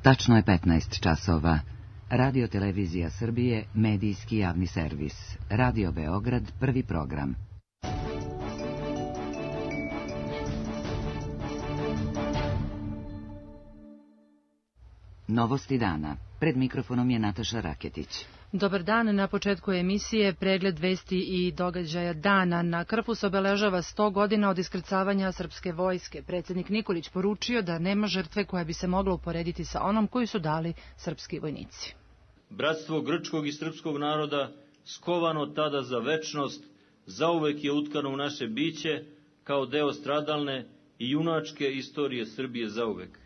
Tačno je 15 časova. Radio Televizija Srbije, medijski javni servis. Radio Beograd, prvi program. Novosti dana. Pred mikrofonom je Nataša Raketić. Dobar dan, na početku emisije pregled vesti i događaja dana. Na Krfu se obeležava 100 godina od iskrcavanja srpske vojske. Predsjednik Nikolić poručio da nema žrtve koja bi se mogla uporediti sa onom koju su dali srpski vojnici. Bratstvo grčkog i srpskog naroda, skovano tada za večnost, zauvek je utkano u naše biće kao deo stradalne i junačke istorije Srbije zauvek.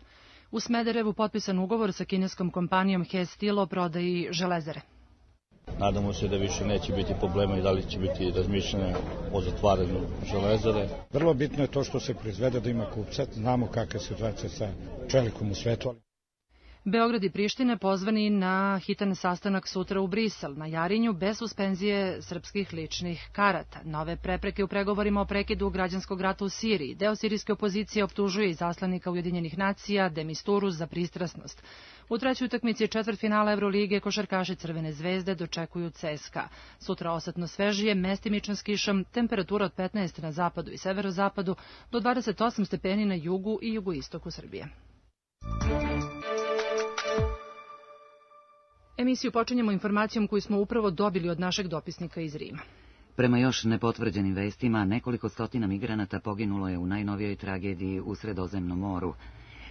U Smederevu potpisan ugovor sa kineskom kompanijom He Steel o prodaji železare. Nadamo se da više neće biti problema i da li će biti razmišljanja o zatvaranju železare. Vrlo bitno je to što se proizvede, da ima kupca. Znamo kakva je situacija sa čelikom u svetu. Beograd i Priština pozvani na hitan sastanak sutra u Brisel, na Jarinju, bez suspenzije srpskih ličnih karata. Nove prepreke u pregovorima o prekidu građanskog rata u Siriji. Deo sirijske opozicije optužuje izaslanika Ujedinjenih nacija de Misturu za pristrasnost. U trećoj utakmici četvrtfinala Evrolige košarkaši Crvene zvezde dočekuju CSKA. Sutra osetno svežije, mestimično s kišom, temperatura od 15 na zapadu i severozapadu do 28 stepeni na jugu i jugoistoku Srbije. Emisiju počinjemo informacijom koju smo upravo dobili od našeg dopisnika iz Rima. Prema još nepotvrđenim vestima, nekoliko stotina migranata poginulo je u najnovijoj tragediji u Sredozemnom moru.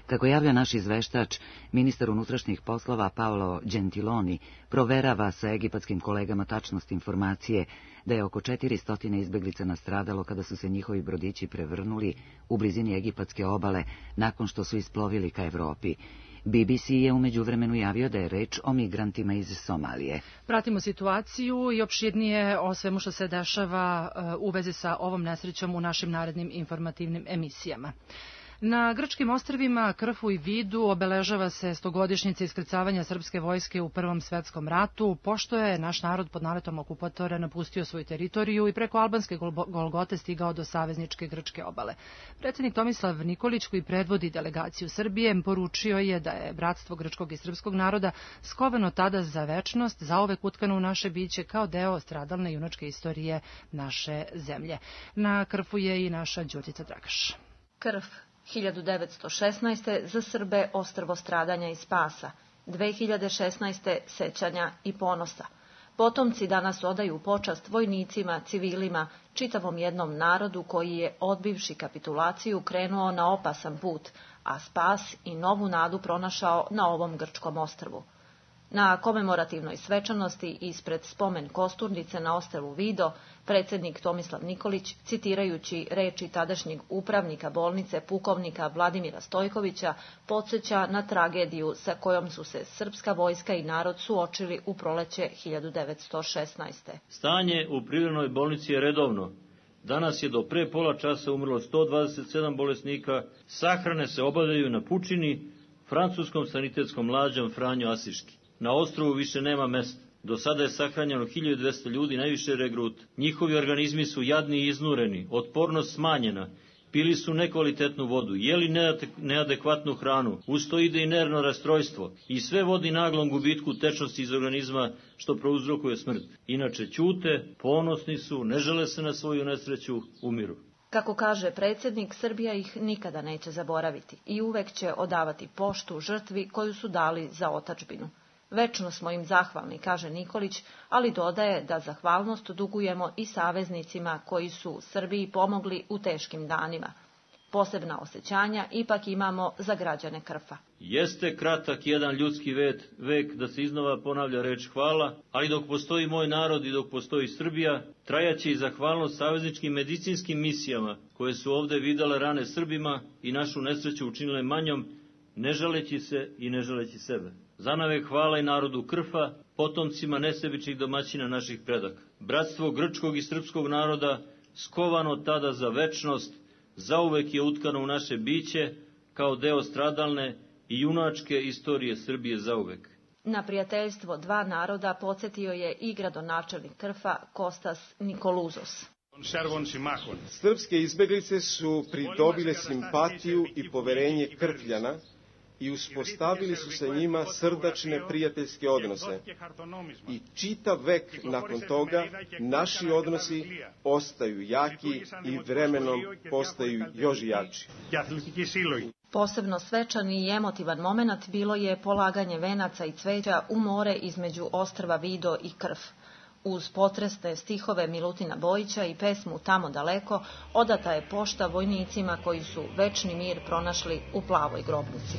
Kako javlja naš izveštač, ministar unutrašnjih poslova Paolo Gentiloni proverava sa egipatskim kolegama tačnost informacije da je oko 400 izbeglica nastradalo kada su se njihovi brodići prevrnuli u blizini egipatske obale nakon što su isplovili ka Evropi. BBC je u međuvremenu javio da je reč o migrantima iz Somalije. Pratimo situaciju i opširnije o svemu što se dešava u vezi sa ovom nesrećom u našim narednim informativnim emisijama. Na grčkim ostrvima Krfu i Vidu obeležava se 100-godišnjica iskrcavanja srpske vojske u Prvom svetskom ratu, pošto je naš narod pod naletom okupatora napustio svoju teritoriju i preko albanske Golgote stigao do savezničke grčke obale. Predsjednik Tomislav Nikolić, koji predvodi delegaciju Srbije, poručio je da je bratstvo grčkog i srpskog naroda skovano tada za večnost, zauvek utkano u naše biće kao deo stradalne junačke istorije naše zemlje. Na Krfu je i naša Đurđica Dragaš. Krf 1916. za Srbe ostrvo stradanja i spasa, 2016. sećanja i ponosa. Potomci danas odaju počast vojnicima, civilima, čitavom jednom narodu koji je, odbivši kapitulaciju, krenuo na opasan put, a spas i novu nadu pronašao na ovom grčkom ostrvu. Na komemorativnoj svečanosti ispred spomen kosturnice na ostrvu Vido, predsjednik Tomislav Nikolić, citirajući reči tadašnjeg upravnika bolnice pukovnika Vladimira Stojkovića, podsjeća na tragediju sa kojom su se srpska vojska i narod suočili u proleće 1916. Stanje u privremenoj bolnici je redovno. Danas je do pre pola časa umrlo 127 bolesnika, sahrane se obavljaju na Pučini, francuskom sanitetskom lađom Franjo Asiški. Na ostrvu više nema mesta. Do sada je sahranjeno 1200 ljudi, najviše regrut. Njihovi organizmi su jadni i iznureni, otpornost smanjena, pili su nekvalitetnu vodu, jeli neadekvatnu hranu, uz to ide i nervno rastrojstvo i sve vodi naglom gubitku tečnosti iz organizma što prouzrokuje smrt. Inače ćute, ponosni su, ne žele se na svoju nesreću, umiru. Kako kaže predsjednik, Srbija ih nikada neće zaboraviti i uvek će odavati poštu žrtvi koju su dali za otadžbinu. Večno smo im zahvalni, kaže Nikolić, ali dodaje da zahvalnost dugujemo i saveznicima koji su Srbiji pomogli u teškim danima. Posebna osjećanja ipak imamo za građane Krfa. Jeste kratak jedan ljudski vek da se iznova ponavlja reč hvala, ali dok postoji moj narod i dok postoji Srbija, trajaće i zahvalnost savezničkim medicinskim misijama koje su ovde vidale rane Srbima i našu nesreću učinile manjom, ne žaleći se i ne žaleći sebe. Zanavek hvala i narodu Krfa, potomcima nesebičnih domaćina naših predaka. Bratstvo grčkog i srpskog naroda, skovano tada za večnost, zauvek je utkano u naše biće kao deo stradalne i junačke istorije Srbije zauvek. Na prijateljstvo dva naroda podsjetio je i gradonačelnik Krfa Kostas Nikoluzos. Srpske izbeglice su pridobile simpatiju i poverenje Krfljana i uspostavili su se njima srdačne prijateljske odnose. I čitav vek nakon toga naši odnosi ostaju jaki i vremenom postaju još jači. Posebno svečan i emotivan moment bilo je polaganje venaca i cveća u more između ostrva Vido i Krf. Uz potresne stihove Milutina Bojića i pesmu Tamo daleko odata je pošta vojnicima koji su večni mir pronašli u plavoj grobnici.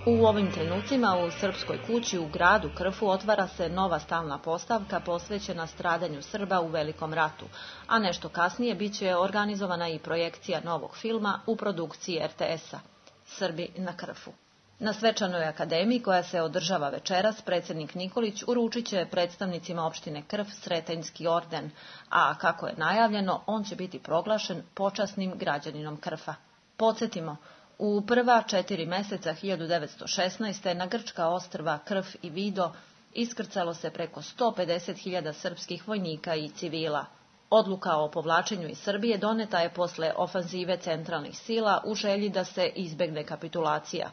U ovim trenucima u Srpskoj kući u gradu Krfu otvara se nova stalna postavka posvećena stradanju Srba u Velikom ratu, a nešto kasnije biće organizovana i projekcija novog filma u produkciji RTS-a Srbi na Krfu. Na svečanoj akademiji koja se održava večeras, predsjednik Nikolić uručit će predstavnicima opštine Krf Sretenjski orden, a kako je najavljeno, on će biti proglašen počasnim građaninom Krfa. Podsjetimo, u prva 4 meseca 1916. na grčka ostrva Krf i Vido iskrcalo se preko 150.000 srpskih vojnika i civila. Odluka o povlačenju iz Srbije doneta je posle ofanzive centralnih sila u želji da se izbegne kapitulacija.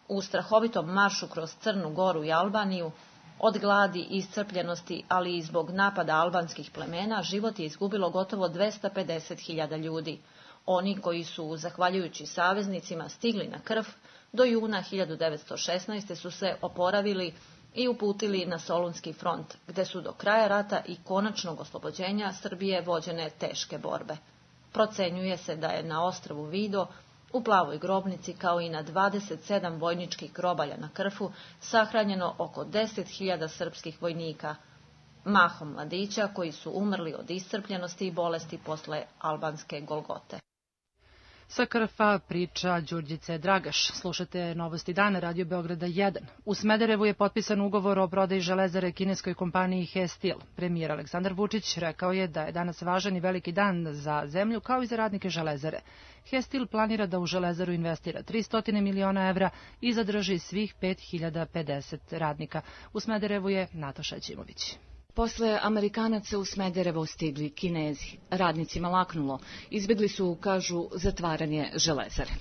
U strahovitom maršu kroz Crnu Goru i Albaniju, od gladi i iscrpljenosti, ali i zbog napada albanskih plemena, život je izgubilo gotovo 250.000 ljudi. Oni koji su, zahvaljujući saveznicima, stigli na Krf, do juna 1916. su se oporavili i uputili na Solunski front, gde su do kraja rata i konačnog oslobođenja Srbije vođene teške borbe. Procenjuje se da je na ostrvu Vido, u plavoj grobnici, kao i na 27 vojničkih grobalja na Krfu, sahranjeno oko 10.000 srpskih vojnika, mahom mladića koji su umrli od iscrpljenosti i bolesti posle albanske Golgote. Sa Krfa priča Đurđice Dragaš. Slušate Novosti dana, Radio Beograda 1. U Smederevu je potpisan ugovor o prodaji železare kineskoj kompaniji He-Steel. Premijer Aleksandar Vučić rekao je da je danas važan i veliki dan za zemlju kao i za radnike železare. He-Steel planira da u železaru investira 300 miliona evra i zadrži svih 5050 radnika. U Smederevu je Nataša Ćimović. Posle Amerikanaca u Smederevo stigli Kinezi. Radnicima laknulo. Izbjegli su, kažu, zatvaranje železare.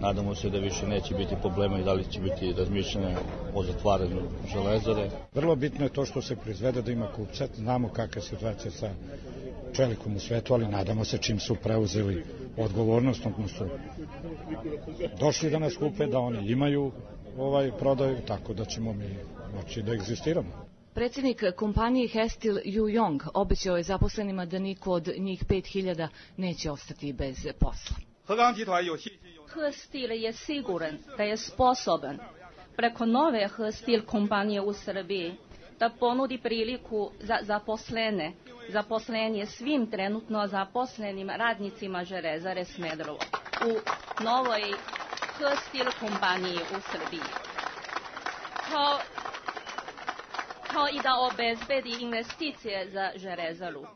Nadamo se da više neće biti problema i da li će biti razmišljanja o zatvaranju železare. Vrlo bitno je to što se proizvede, da ima kupca. Znamo kakva je situacija sa čelikom u svetu, ali nadamo se čim su preuzeli odgovornost, odnosno došli da nas kupe, da oni imaju prodaju, tako da ćemo mi moći da egzistiramo. Predsjednik kompanije He-Steel Yu Yong obećao je zaposlenima da niko od njih 5000 neće ostati bez posla. He-Steel je siguran da je sposoban preko nove He-Steel kompanije u Srbiji da ponudi priliku za zaposlenje svim trenutno zaposlenim radnicima železare Smederevo u novoj He-Steel kompaniji u Srbiji. Kao i da obezbedi investicije za železaru.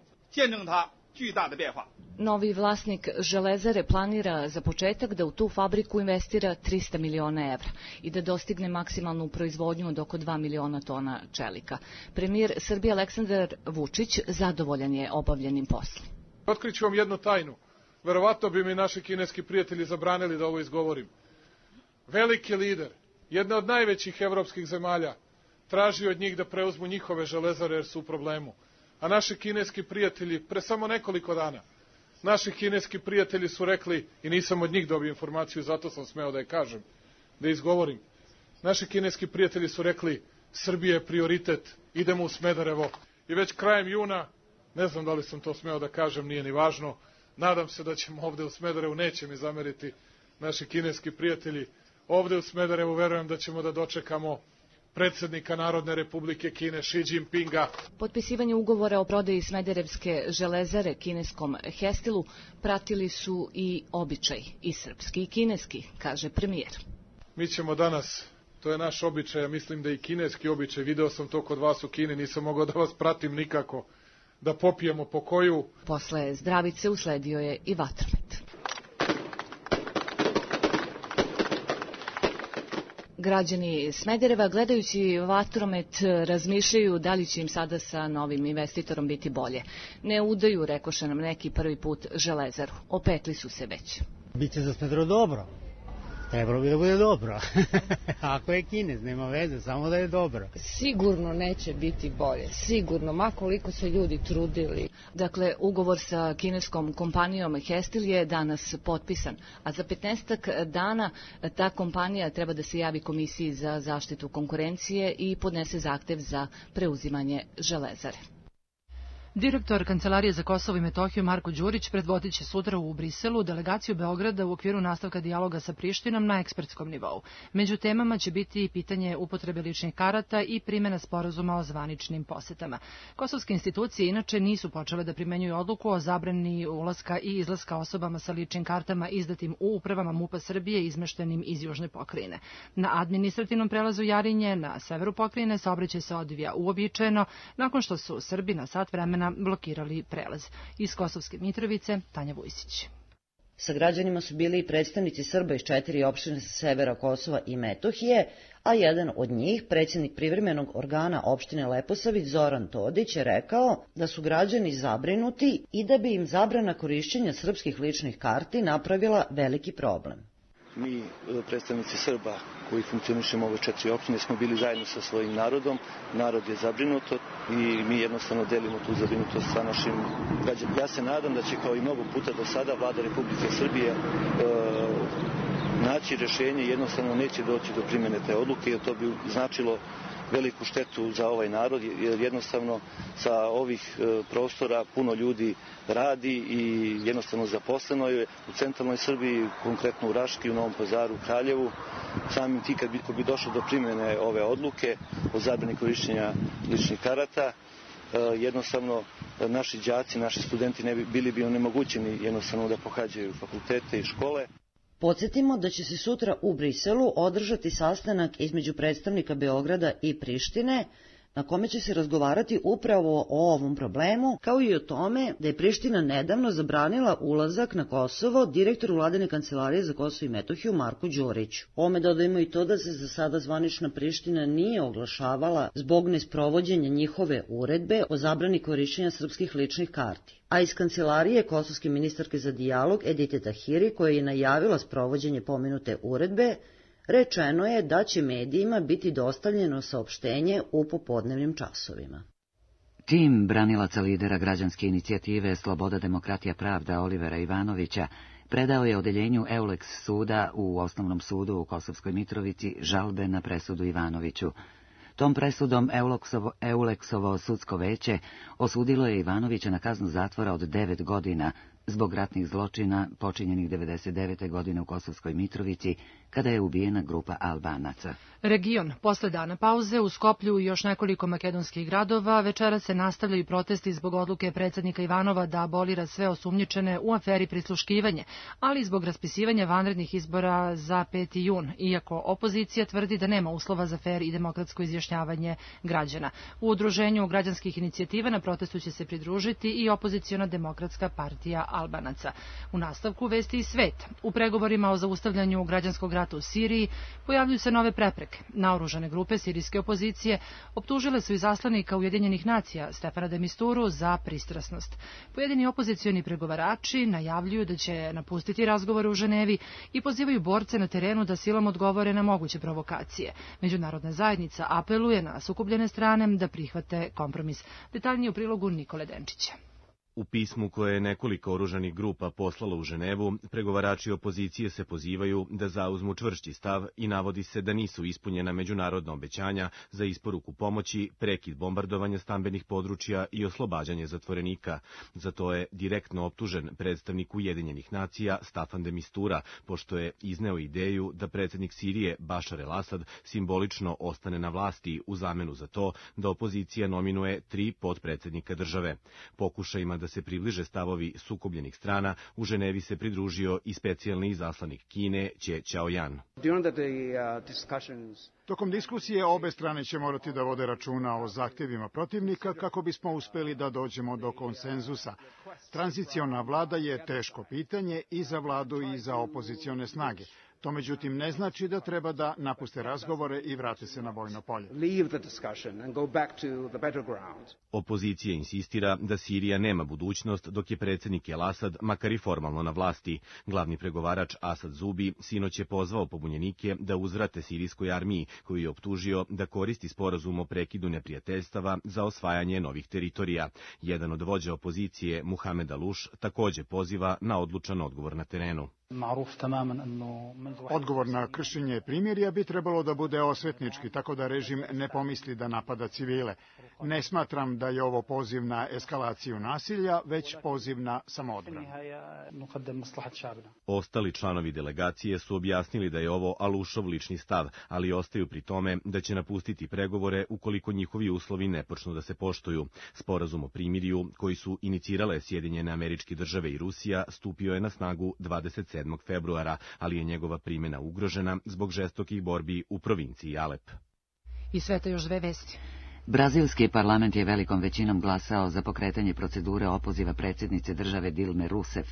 Novi vlasnik železare planira za početak da u tu fabriku investira 300 miliona evra i da dostigne maksimalnu proizvodnju od oko 2 miliona tona čelika. Premijer Srbije Aleksandar Vučić zadovoljan je obavljenim poslom. Otkriću vam jednu tajnu. Verovatno bi mi naši kineski prijatelji zabranili da ovo izgovorim. Veliki lider, jedna od najvećih evropskih zemalja, traži od njih da preuzmu njihove železare jer su u problemu. A naši kineski prijatelji, pre samo nekoliko dana, naši kineski prijatelji su rekli, i nisam od njih dobio informaciju, zato sam smeo da je kažem, da izgovorim. Naši kineski prijatelji su rekli, Srbija je prioritet, idemo u Smederevo. I već krajem juna, ne znam da li sam to smeo da kažem, nije ni važno, nadam se da ćemo ovde u Smederevu, neće mi zameriti naši kineski prijatelji, ovde u Smederevu verujem da ćemo da dočekamo predsjednika Narodne republike Kine Xi Jinpinga. Potpisivanje ugovora o prodaji Smederevske železare kineskom He-Steelu pratili su i običaj, i srpski i kineski, kaže premijer. Mi ćemo danas, to je naš običaj, ja mislim da i kineski običaj, video sam to kod vas u Kini, nisam mogao da vas pratim nikako, da popijemo po koju. Posle zdravice usledio je i vatromet. Građani Smedereva, gledajući vatromet, razmišljaju da li će im sada sa novim investitorom biti bolje. Ne udaju, rekoše nam neki, prvi put Železaru. Opekli su se već. Biće za Smederevo dobro. Trebalo bi da bude dobro. Ako je Kinez, nema veze, samo da je dobro. Sigurno neće biti bolje, sigurno, ma koliko se ljudi trudili. Dakle, ugovor sa kineskom kompanijom Hestil je danas potpisan, a za 15 dana ta kompanija treba da se javi Komisiji za zaštitu konkurencije i podnese zahtev za preuzimanje Železare. Direktor Kancelarije za Kosovo i Metohiju Marko Đurić predvodit će sutra u Briselu delegaciju Beograda u okviru nastavka dijaloga sa Prištinom na ekspertskom nivou. Među temama će biti i pitanje upotrebe ličnih karata i primjena sporazuma o zvaničnim posetama. Kosovske institucije inače nisu počele da primenjuju odluku o zabrani ulaska i izlaska osobama sa ličnim kartama izdatim u upravama MUP-a Srbije izmeštenim iz južne pokrajine. Na administrativnom prelazu Jarinje na severu pokrajine saobraćaj se odvija uobičajeno nakon što su Srbi na sat vremena blokirali prelaz. Iz Kosovske Mitrovice, Tanja Vujsić. Sa građanima su bili i predstavnici Srba iz 4 opštine sa severa Kosova i Metohije, a jedan od njih, predsjednik privremenog organa opštine Leposavić Zoran Todić, je rekao da su građani zabrinuti i da bi im zabrana korišćenja srpskih ličnih karti napravila veliki problem. Mi, predstavnici Srba koji funkcionišemo ove 4 opštine, smo bili zajedno sa svojim narodom. Narod je zabrinuto i mi jednostavno delimo tu zabrinutost sa našim građanima. Ja se nadam da će, kao i mnogo puta do sada, Vlada Republike Srbije naći rešenje i jednostavno neće doći do primjene te odluke, jer to bi značilo veliku štetu za ovaj narod, jer jednostavno sa ovih prostora puno ljudi radi i jednostavno zaposleno je u centralnoj Srbiji, konkretno u Raški, u Novom Pazaru, u Kraljevu. Samim ti kad bi došlo do primjene ove odluke o zabrani korišćenja ličnih karata, jednostavno naši đaci, naši studenti bili bi onemogućeni jednostavno da pohađaju fakultete i škole. Podsjetimo da će se sutra u Briselu održati sastanak između predstavnika Beograda i Prištine, na kome će se razgovarati upravo o ovom problemu, kao i o tome da je Priština nedavno zabranila ulazak na Kosovo direktoru Vladine kancelarije za Kosovo i Metohiju Marku Đuriću. Ome dodajemo i to da se za sada zvanična Priština nije oglašavala zbog nesprovođenja njihove uredbe o zabrani korišćenja srpskih ličnih karti. A iz kancelarije kosovske ministarke za dijalog Edite Tahiri, koja je najavila sprovođenje pomenute uredbe, rečeno je da će medijima biti dostavljeno saopštenje u popodnevnim časovima. Tim branilaca lidera građanske inicijative Sloboda, demokratija, pravda Olivera Ivanovića predao je odeljenju Euleks suda u Osnovnom sudu u Kosovskoj Mitrovici žalbe na presudu Ivanoviću. Tom presudom Euleksovo sudsko veće osudilo je Ivanovića na kaznu zatvora od 9 godina zbog ratnih zločina počinjenih 99. godine u Kosovskoj Mitrovici, kada je ubijena grupa Albanaca. Region. Posle dana pauze u Skoplju i još nekoliko makedonskih gradova večera se nastavljaju protesti zbog odluke predsjednika Ivanova da abolira sve osumnjičene u aferi prisluškivanje, ali i zbog raspisivanja vanrednih izbora za 5. jun, iako opozicija tvrdi da nema uslova za fer i demokratsko izjašnjavanje građana. U udruženju građanskih inicijativa na protestu će se pridružiti i opoziciona demokratska partija Albanaca. U nastavku vesti i svet. U pregovorima o zaustavljanju građanskog rata u Siriji pojavljuju se nove prepreke. Naoružane grupe sirijske opozicije optužile su izaslanika Ujedinjenih nacija Stefana de Misturu za pristrasnost. Pojedini opozicioni pregovarači najavljuju da će napustiti razgovore u Ženevi i pozivaju borce na terenu da silom odgovore na moguće provokacije. Međunarodna zajednica apeluje na sukobljene strane da prihvate kompromis. Detaljnije u prilogu Nikole Denčića. U pismu koje je nekoliko oružanih grupa poslalo u Ženevu, pregovarači opozicije se pozivaju da zauzmu čvršći stav i navodi se da nisu ispunjena međunarodna obećanja za isporuku pomoći, prekid bombardovanja stambenih područja i oslobađanje zatvorenika. Za to je direktno optužen predstavnik Ujedinjenih nacija Staffan de Mistura, pošto je izneo ideju da predsjednik Sirije Bašar el-Asad simbolično ostane na vlasti u zamenu za to da opozicija nominuje 3 potpredsjednika države. Pokušajima da se približe stavovi sukobljenih strana, u Ženevi se pridružio i specijalni izaslanik Kine Che Chaoyan. Tokom diskusije obe strane će morati da vode računa o zahtjevima protivnika kako bismo uspeli da dođemo do konsenzusa. Tranziciona vlada je teško pitanje i za vladu i za opozicione snage. To međutim ne znači da treba da napuste razgovore i vrate se na bojno polje. Opozicija insistira da Sirija nema budućnost dok je predsjednik El Asad makar i formalno na vlasti. Glavni pregovarač Asad Zubi sinoć je pozvao pobunjenike da uzvrate sirijskoj armiji, koju je optužio da koristi sporazum o prekidu neprijateljstava za osvajanje novih teritorija. Jedan od vođa opozicije, Muhamed Aluš, također poziva na odlučan odgovor na terenu. Odgovor na kršenje primirja bi trebalo da bude osvetnički, tako da režim ne pomisli da napada civile. Ne smatram da je ovo poziv na eskalaciju nasilja, već poziv na samoodbranu. Ostali članovi delegacije su objasnili da je ovo Alušov lični stav, ali ostaju pri tome da će napustiti pregovore ukoliko njihovi uslovi ne počnu da se poštuju. Sporazum o primirju, koji su inicirale Sjedinjene Američke Države i Rusija, stupio je na snagu 27. februara, ali je njegova primjena ugrožena zbog žestokih borbi u provinciji Alep. I sveta još dve vesti. Brazilski parlament je velikom većinom glasao za pokretanje procedure opoziva predsjednice države Dilme Rousseff,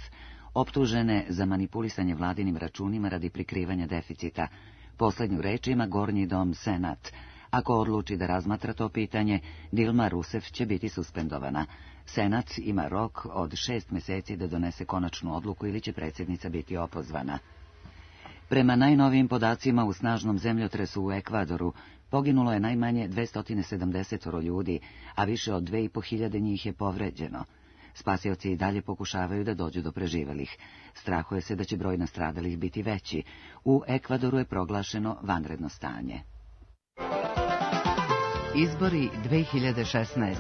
optužene za manipulisanje vladinim računima radi prikrivanja deficita. Poslednju reč ima Gornji dom Senat. Ako odluči da razmatra to pitanje, Dilma Rousseff će biti suspendovana. Senat ima rok od 6 meseci da donese konačnu odluku ili će predsjednica biti opozvana. Prema najnovijim podacima, u snažnom zemljotresu u Ekvadoru poginulo je najmanje 270 ljudi, a više od 2500 njih je povređeno. Spasioci i dalje pokušavaju da dođu do preživelih. Strahuje se da će broj nastradalih biti veći. U Ekvadoru je proglašeno vanredno stanje. Izbori 2016.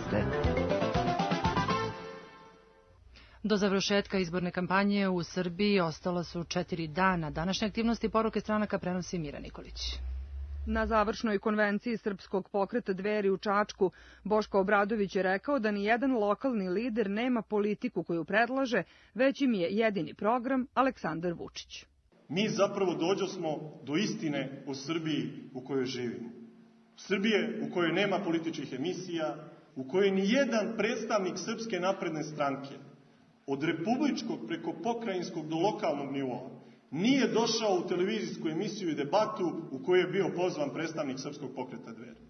Do završetka izborne kampanje u Srbiji ostala su 4 dana. Današnje aktivnosti i poruke stranaka prenosi Mira Nikolić. Na završnoj konvenciji Srpskog pokreta Dveri u Čačku, Boško Obradović je rekao da ni jedan lokalni lider nema politiku koju predlaže, već im je jedini program Aleksandar Vučić. Mi zapravo dođosmo do istine o Srbiji u kojoj živimo. Srbije u kojoj nema političkih emisija, u kojoj ni jedan predstavnik Srpske napredne stranke, od republičkog preko pokrajinskog do lokalnog nivoa, nije došao u televizijsku emisiju i debatu u kojoj je bio pozvan predstavnik Srpskog pokreta Dveri.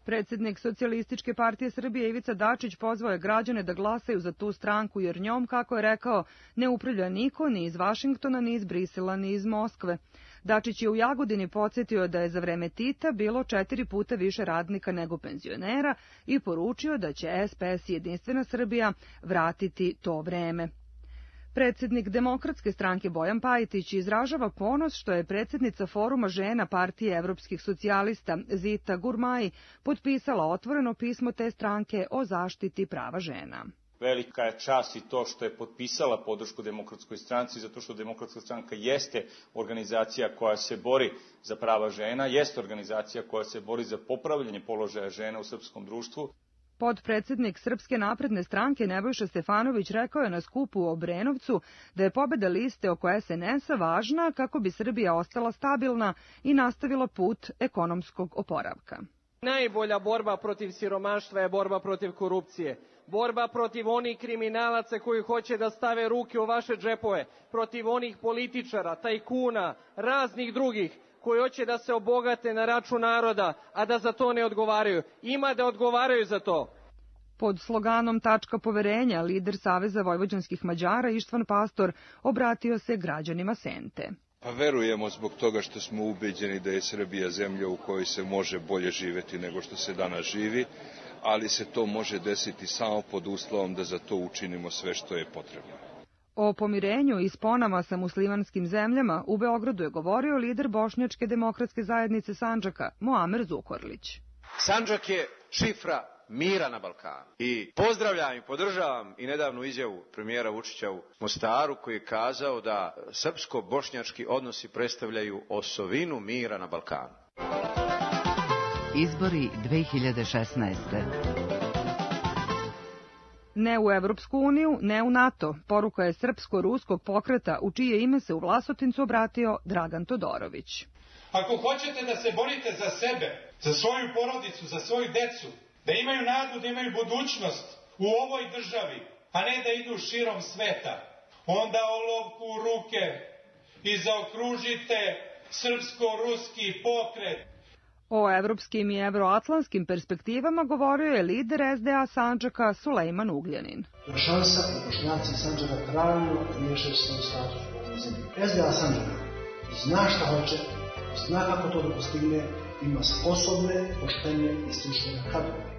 Predsjednik Socijalističke partije Srbije Ivica Dačić pozvao je građane da glasaju za tu stranku, jer njom, kako je rekao, ne upravlja niko ni iz Vašingtona, ni iz Brisela, ni iz Moskve. Dačić je u Jagodini podsjetio da je za vreme Tita bilo 4 puta više radnika nego penzionera i poručio da će SPS i Jedinstvena Srbija vratiti to vreme. Predsjednik Demokratske stranke Bojan Pajtić izražava ponos što je predsjednica Foruma žena Partije evropskih socijalista Zita Gurmai potpisala otvoreno pismo te stranke o zaštiti prava žena. Velika je čast i to što je potpisala podršku Demokratskoj stranci, zato što Demokratska stranka jeste organizacija koja se bori za prava žena, jeste organizacija koja se bori za popravljanje položaja žena u srpskom društvu. Podpredsjednik Srpske napredne stranke Nebojša Stefanović rekao je na skupu u Obrenovcu da je pobjeda liste oko SNS-a važna kako bi Srbija ostala stabilna i nastavila put ekonomskog oporavka. Najbolja borba protiv siromaštva je borba protiv korupcije. Borba protiv onih kriminalaca koji hoće da stave ruke u vaše džepove, protiv onih političara, tajkuna, raznih drugih koji hoće da se obogate na račun naroda, a da za to ne odgovaraju. Ima da odgovaraju za to. Pod sloganom Tačka poverenja, lider Saveza vojvođanskih Mađara Ištvan Pastor obratio se građanima Sente. Pa verujemo zbog toga što smo ubeđeni da je Srbija zemlja u kojoj se može bolje živeti nego što se danas živi, ali se to može desiti samo pod uslovom da za to učinimo sve što je potrebno. O pomirenju i sponama sa muslimanskim zemljama u Beogradu je govorio lider Bošnjačke demokratske zajednice Sandžaka, Muamer Zukorlić. Sandžak je šifra mira na Balkanu. I pozdravljam i podržavam i nedavnu izjavu premijera Vučića u Mostaru koji je kazao da srpsko-bošnjački odnosi predstavljaju osovinu mira na Balkanu. Izbori 2016. Ne u Evropsku uniju, ne u NATO. Poruka je srpsko-ruskog pokreta u čije ime se u Vlasotincu obratio Dragan Todorović. Ako hoćete da se borite za sebe, za svoju porodicu, za svoju decu, da imaju nadu, da imaju budućnost u ovoj državi, a ne da idu širom sveta, onda olovku u ruke i zaokružite srpsko-ruski pokret. O evropskim i evroatlantskim perspektivama govorio je lider SDA Sandžaka Sulejman Ugljanin. Šansa da Bošnjaci Sandžaka trajno riješaju svoj status u ovoj zemlji. SDA Sandžaka zna šta hoće, zna kako to da postigne, ima sposobne, poštene i stručne kadrove.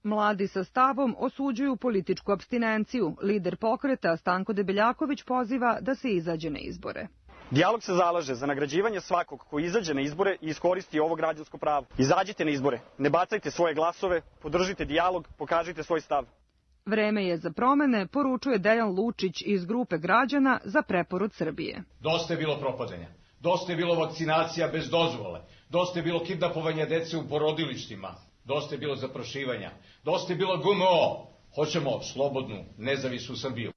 Mladi sa stavom osuđuju političku apstinenciju. Lider pokreta Stanko Debeljaković poziva da se izađe na izbore. Dijalog se zalaže za nagrađivanje svakog ko izađe na izbore i iskoristi ovo građansko pravo. Izađite na izbore, ne bacajte svoje glasove, podržite dijalog, pokažite svoj stav. Vreme je za promene, poručuje Dejan Lučić iz grupe građana za preporod Srbije. Dosta je bilo propadanja, dosta je bilo vakcinacija bez dozvole, dosta je bilo kidnapovanja dece u porodilištima, dosta je bilo zaprašivanja, dosta je bilo GMO. Hoćemo slobodnu, nezavisnu Srbiju.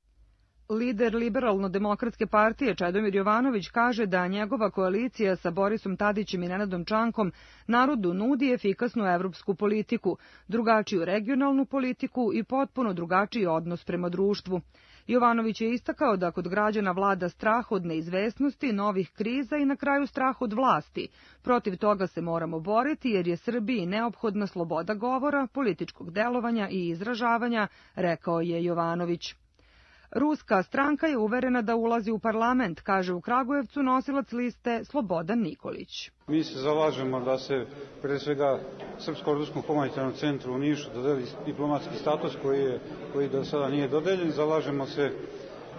Lider Liberalno-demokratske partije Čedomir Jovanović kaže da njegova koalicija sa Borisom Tadićem i Nenadom Čankom narodu nudi efikasnu evropsku politiku, drugačiju regionalnu politiku i potpuno drugačiji odnos prema društvu. Jovanović je istakao da kod građana vlada strah od neizvesnosti, novih kriza i na kraju strah od vlasti. Protiv toga se moramo boriti jer je Srbiji neophodna sloboda govora, političkog delovanja i izražavanja, rekao je Jovanović. Ruska stranka je uverena da ulazi u parlament, kaže u Kragujevcu nosilac liste Slobodan Nikolić. Mi se zalažemo da se, pre svega, Srpsko-ruskom humanitarnom centru u Nišu dodeli diplomatski status koji do sada nije dodeljen. Zalažemo se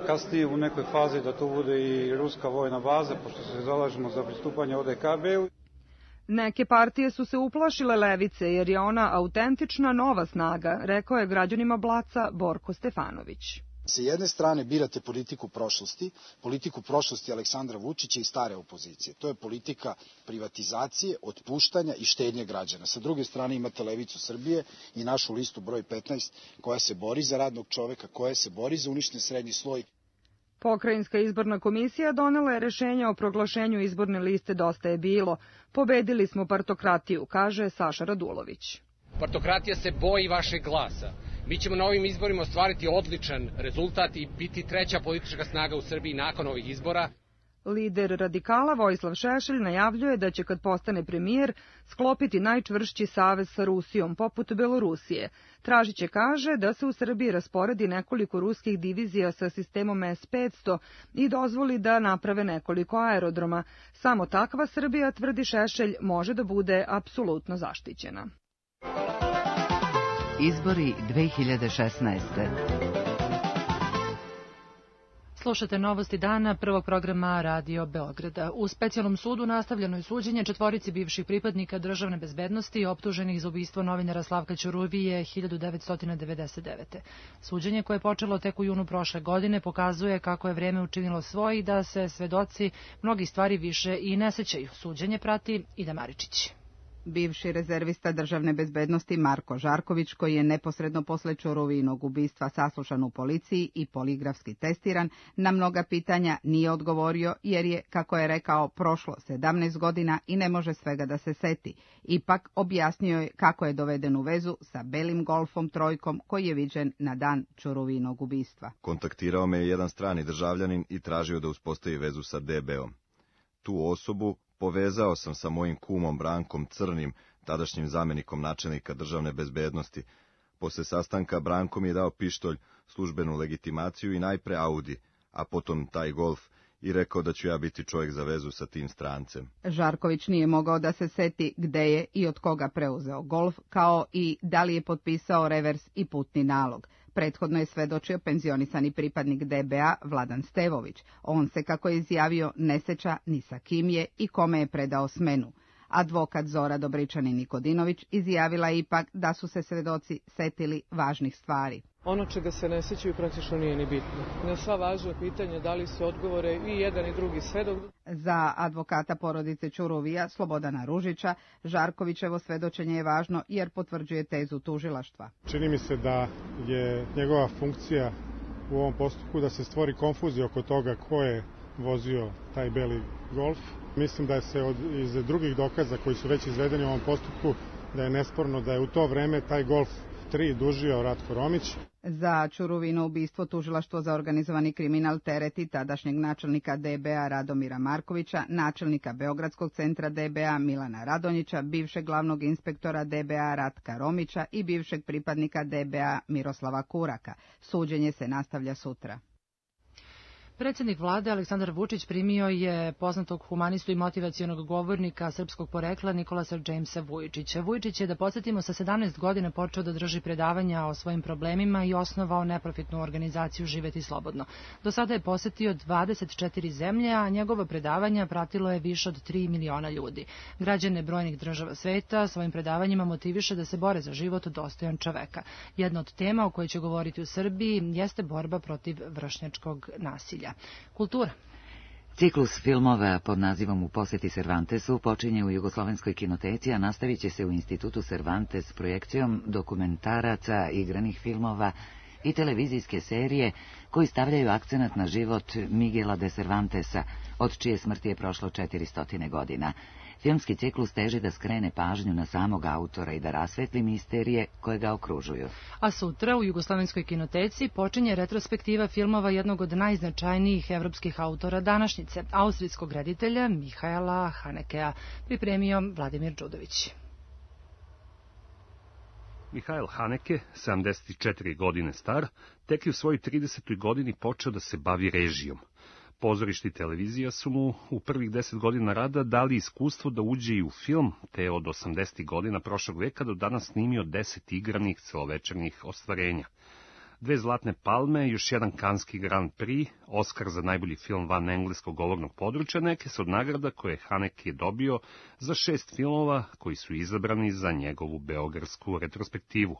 kasnije u nekoj fazi da to bude i ruska vojna baza, pošto se zalažemo za pristupanje ODKB-u. Neke partije su se uplašile levice jer je ona autentična nova snaga, rekao je građanima Blaca Borko Stefanović. S jedne strane birate politiku prošlosti Aleksandra Vučića i stare opozicije. To je politika privatizacije, otpuštanja i štednje građana. Sa druge strane imate Levicu Srbije i našu listu broj 15 koja se bori za radnog čoveka, koja se bori za uništen srednji sloj. Pokrajinska izborna komisija donela je rešenje o proglašenju izborne liste Dosta je bilo. Pobedili smo partokratiju, kaže Saša Radulović. Partokratija se boji vašeg glasa. Mi ćemo na ovim izborima ostvariti odličan rezultat i biti treća politička snaga u Srbiji nakon ovih izbora. Lider radikala Vojislav Šešelj najavljuje da će kad postane premijer sklopiti najčvršći savez sa Rusijom, poput Belorusije. Tražiće kaže da se u Srbiji rasporedi nekoliko ruskih divizija sa sistemom S-500 i dozvoli da naprave nekoliko aerodroma. Samo takva Srbija, tvrdi Šešelj, može da bude apsolutno zaštićena. Izbori 2016. Slušate novosti dana prvog programa Radio Beograda. U specijalnom sudu nastavljeno je suđenje četvorici bivših pripadnika državne bezbednosti optuženih za ubistvo novinara Slavka Ćuruvije 1999. Suđenje koje je počelo tek u junu prošle godine pokazuje kako je vreme učinilo svoje i da se svedoci mnogih stvari više i ne sećaju. Suđenje prati Ida Maričić. Bivši rezervista državne bezbednosti Marko Žarković, koji je neposredno posle Ćuruvijinog ubistva saslušan u policiji i poligrafski testiran, na mnoga pitanja nije odgovorio jer je, kako je rekao, prošlo 17 godina i ne može svega da se seti. Ipak objasnio je kako je doveden u vezu sa belim Golfom trojkom koji je viđen na dan Ćuruvijinog ubistva. Kontaktirao me je jedan strani državljanin i tražio da uspostavi vezu sa DB-om. Tu osobu povezao sam sa mojim kumom Brankom Crnim, tadašnjim zamenikom načelnika državne bezbednosti. Posle sastanka Branko mi je dao pištolj, službenu legitimaciju i najpre Audi, a potom taj Golf i rekao da ću ja biti čovjek za vezu sa tim strancem. Žarković nije mogao da se seti gde je i od koga preuzeo Golf, kao i da li je potpisao revers i putni nalog. Prethodno je svedočio penzionisani pripadnik DBA Vladan Stevović. On se, kako je izjavio, ne seća ni sa kim je i kome je predao smenu. Advokat Zora Dobričanin-Nikodinović izjavila je ipak da su se svedoci setili važnih stvari. Ono čega se ne sećaju praktično nije ni bitno. Na sva važna pitanja dali su odgovore i jedan i drugi svedok. Za advokata porodice Ćuruvija Slobodana Ružića, Žarkovićevo svedočenje je važno jer potvrđuje tezu tužilaštva. Čini mi se da je njegova funkcija u ovom postupku da se stvori konfuzija oko toga ko je vozio taj beli Golf. Mislim da se iz drugih dokaza koji su već izvedeni u ovom postupku da je nesporno da je u to vreme taj Golf 3 dužio Ratko Romić. Za Čuruvino ubistvo tužilaštvo za organizovani kriminal tereti tadašnjeg načelnika DBA Radomira Markovića, načelnika Beogradskog centra DBA Milana Radonjića, bivšeg glavnog inspektora DBA Ratka Romića i bivšeg pripadnika DBA Miroslava Kuraka. Suđenje se nastavlja sutra. Predsjednik vlade Aleksandar Vučić primio je poznatog humanistu i motivacionog govornika srpskog porekla Nikolasa Jamesa Vujčića. Vujčić je, da podsjetimo, sa 17 godina počeo da drži predavanja o svojim problemima i osnovao neprofitnu organizaciju Živeti slobodno. Do sada je posetio 24 zemlje, a njegova predavanja pratilo je više od 3 miliona ljudi. Građane brojnih država sveta svojim predavanjima motiviše da se bore za život dostojan čoveka. Jedna od tema o kojoj će govoriti u Srbiji jeste borba protiv vršnjačkog nasilja. Kultura. Ciklus filmova pod nazivom U posjeti Cervantesu počinje u Jugoslovenskoj kinoteci, a nastavit će se u Institutu Cervantes projekcijom dokumentaraca, igranih filmova i televizijske serije koji stavljaju akcenat na život Miguela de Cervantesa, od čije smrti je prošlo 400 godina. Filmski ciklus teži da skrene pažnju na samog autora i da rasvetli misterije koje ga okružuju. A sutra u Jugoslovenskoj kinoteci počinje retrospektiva filmova jednog od najznačajnijih evropskih autora današnjice, austrijskog reditelja Mihaela Hanekea, pripremio Vladimir Đudović. Mihael Haneke, 74 godine star, tek je u svojoj 30. godini počeo da se bavi režijom. Pozorište i televizija su mu u prvih 10 godina rada dali iskustvo da uđe i u film, te od 80. godina prošlog veka do danas snimio 10 igranih celovečernjih ostvarenja. 2 zlatne palme, još jedan Kanski Grand Prix, Oskar za najbolji film van engleskog govornog područja, neke su od nagrada koje Haneke dobio za 6 filmova koji su izabrani za njegovu beogradsku retrospektivu.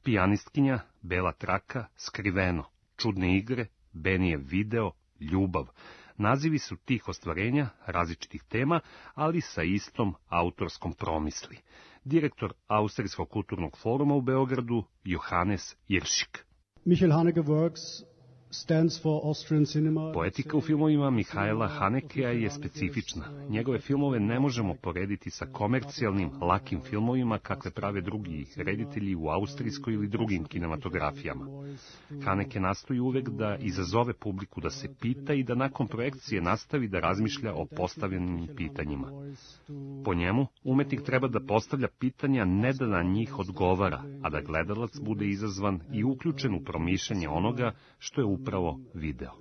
Pijanistkinja, Bela traka, Skriveno, Čudne igre, Benijev video, Ljubav. Nazivi su tih ostvarenja, različitih tema, ali sa istom autorskom promisli. Direktor Austrijskog kulturnog foruma u Beogradu, Johannes Iršik. Michael Haneke works stands for Austrian cinema. Poetika u filmovima Mihaela Hanekea je specifična. Njegove filmove ne možemo porediti sa komercijalnim, lakim filmovima kakve prave drugi reditelji u austrijskoj ili drugim kinematografijama. Haneke nastoji uvek da izazove publiku da se pita i da nakon projekcije nastavi da razmišlja o postavljenim pitanjima. Po njemu, umetnik treba da postavlja pitanja ne da na njih odgovara, a da gledalac bude izazvan i uključen u promišljanje onoga što je upravo video.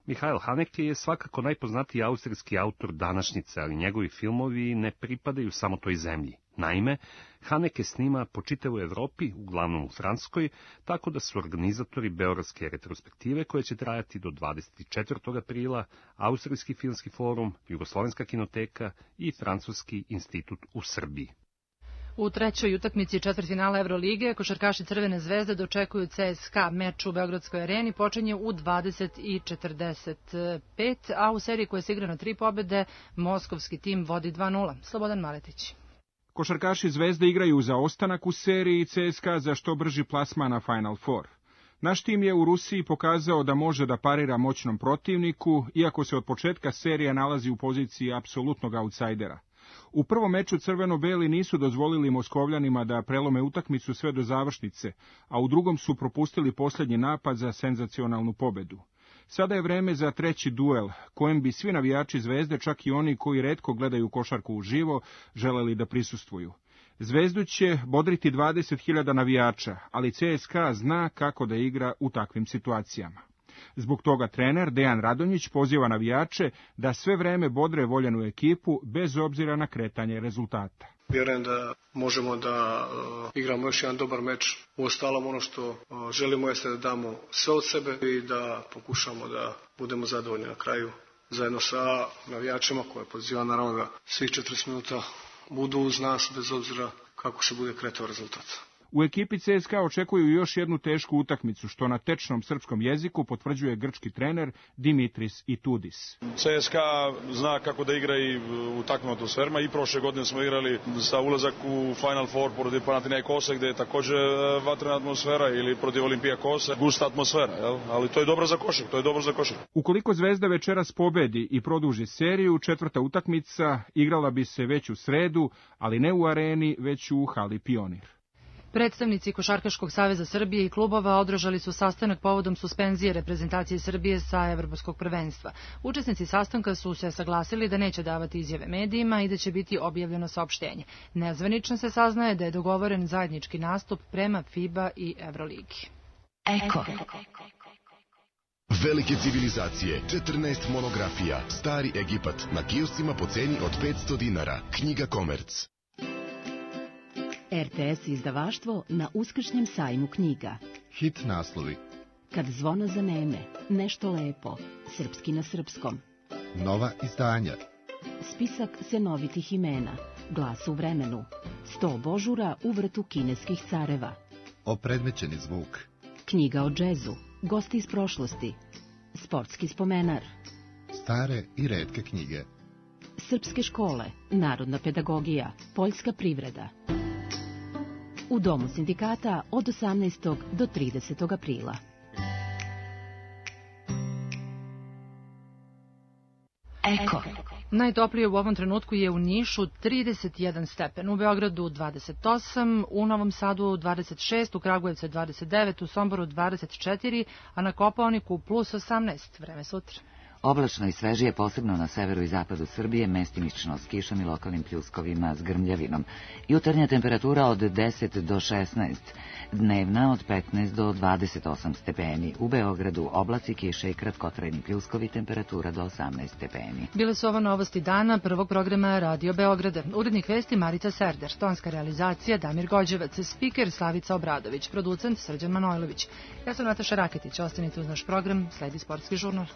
Mihael Haneke je svakako najpoznatiji austrijski autor današnjice, ali njegovi filmovi ne pripadaju samo toj zemlji. Naime, Haneke snima po čitavoj Evropi, uglavnom u Francuskoj, tako da su organizatori beogradske retrospektive, koje će trajati do 24. aprila, Austrijski filmski forum, Jugoslovenska kinoteka i Francuski institut u Srbiji. U trećoj utakmici četvrtfinala Evrolige košarkaši Crvene zvezde dočekuju CSKA. Meč u Beogradskoj areni počinje u 20:45, a u seriji koja se igra na 3 pobede moskovski tim vodi 2:0. Slobodan Maletić. Košarkaši Zvezde igraju za ostanak u seriji, CSKA za što brži plasman na Final Four. Naš tim je u Rusiji pokazao da može da parira moćnom protivniku, iako se od početka serije nalazi u poziciji apsolutnog autsajdera. U prvom meču crveno-beli nisu dozvolili Moskovljanima da prelome utakmicu sve do završnice, a u drugom su propustili posljednji napad za senzacionalnu pobedu. Sada je vreme za treći duel, kojem bi svi navijači Zvezde, čak i oni koji retko gledaju košarku uživo, želeli da prisustvuju. Zvezdu će bodriti 20.000 navijača, ali CSKA zna kako da igra u takvim situacijama. Zbog toga trener Dejan Radonjić poziva navijače da sve vreme bodre voljenu ekipu bez obzira na kretanje rezultata. Vjerujem da možemo da igramo još jedan dobar meč. Uostalom ono što želimo jeste da damo sve od sebe i da pokušamo da budemo zadovoljni na kraju zajedno sa navijačima koje poziva naravno da svih 40 minuta budu uz nas bez obzira kako se bude kretao rezultat. U ekipi CSKA očekuju još jednu tešku utakmicu, što na tečnom srpskom jeziku potvrđuje grčki trener Dimitris Itoudis. CSKA zna kako da igra i u takvim atmosferima. I prošle godine smo igrali sa ulazak u Final Four protiv Panathinaikosa, gde je također vatrena atmosfera, ili protiv Olimpijakosa, gusta atmosfera, jel? Ali to je dobro za košarku, Ukoliko Zvezda večeras pobedi i produži seriju, četvrta utakmica igrala bi se već u sredu, ali ne u areni, već u hali Pionir. Predstavnici Košarkaškog saveza Srbije i klubova održali su sastanak povodom suspenzije reprezentacije Srbije sa Evropskog prvenstva. Učesnici sastanka su se saglasili da neće davati izjave medijima i da će biti objavljeno saopštenje. Nezvanično se saznaje da je dogovoren zajednički nastup prema FIBA i Evroligi. Eko. Velike civilizacije, 14 monografija, Stari Egipat, na kioscima po ceni od 500 dinara. Knjiga Komerc. RTS izdavaštvo na uskršnjem sajmu knjiga. Hit naslovi. Kad zvona zaneme, nešto lepo, srpski na srpskom. Nova izdanja. Spisak senovitih imena, Glas u vremenu, 100 božura u vrtu kineskih careva. Opredmećeni zvuk. Knjiga o džezu, gosti iz prošlosti, sportski spomenar. Stare i retke knjige. Srpske škole, narodna pedagogija, poljska privreda. U Domu sindikata od 18. do 30. aprila. Eko. Najtoplije u ovom trenutku je u Nišu 31 stepen, u Beogradu 28, u Novom Sadu 26, u Kragujevcu 29, u Somboru 24, a na Kopaoniku plus 18. Vreme sutra. Oblačno i svežije, posebno na severu i zapadu Srbije, mestimično s kišom i lokalnim pljuskovima s grmljavinom. Jutarnja temperatura od 10 do 16, dnevna od 15 do 28 stepeni. U Beogradu oblaci, kiše i kratkotrajni pljuskovi, temperatura do 18 stepeni. Bile su ovo novosti dana prvog programa Radio Beograda. Urednik vesti Marica Serder, tonska realizacija Damir Gođevac, spiker Slavica Obradović, producent Srđan Manojlović. Ja sam Nataša Raketić, ostanite uz naš program, sledi sportski žurnal.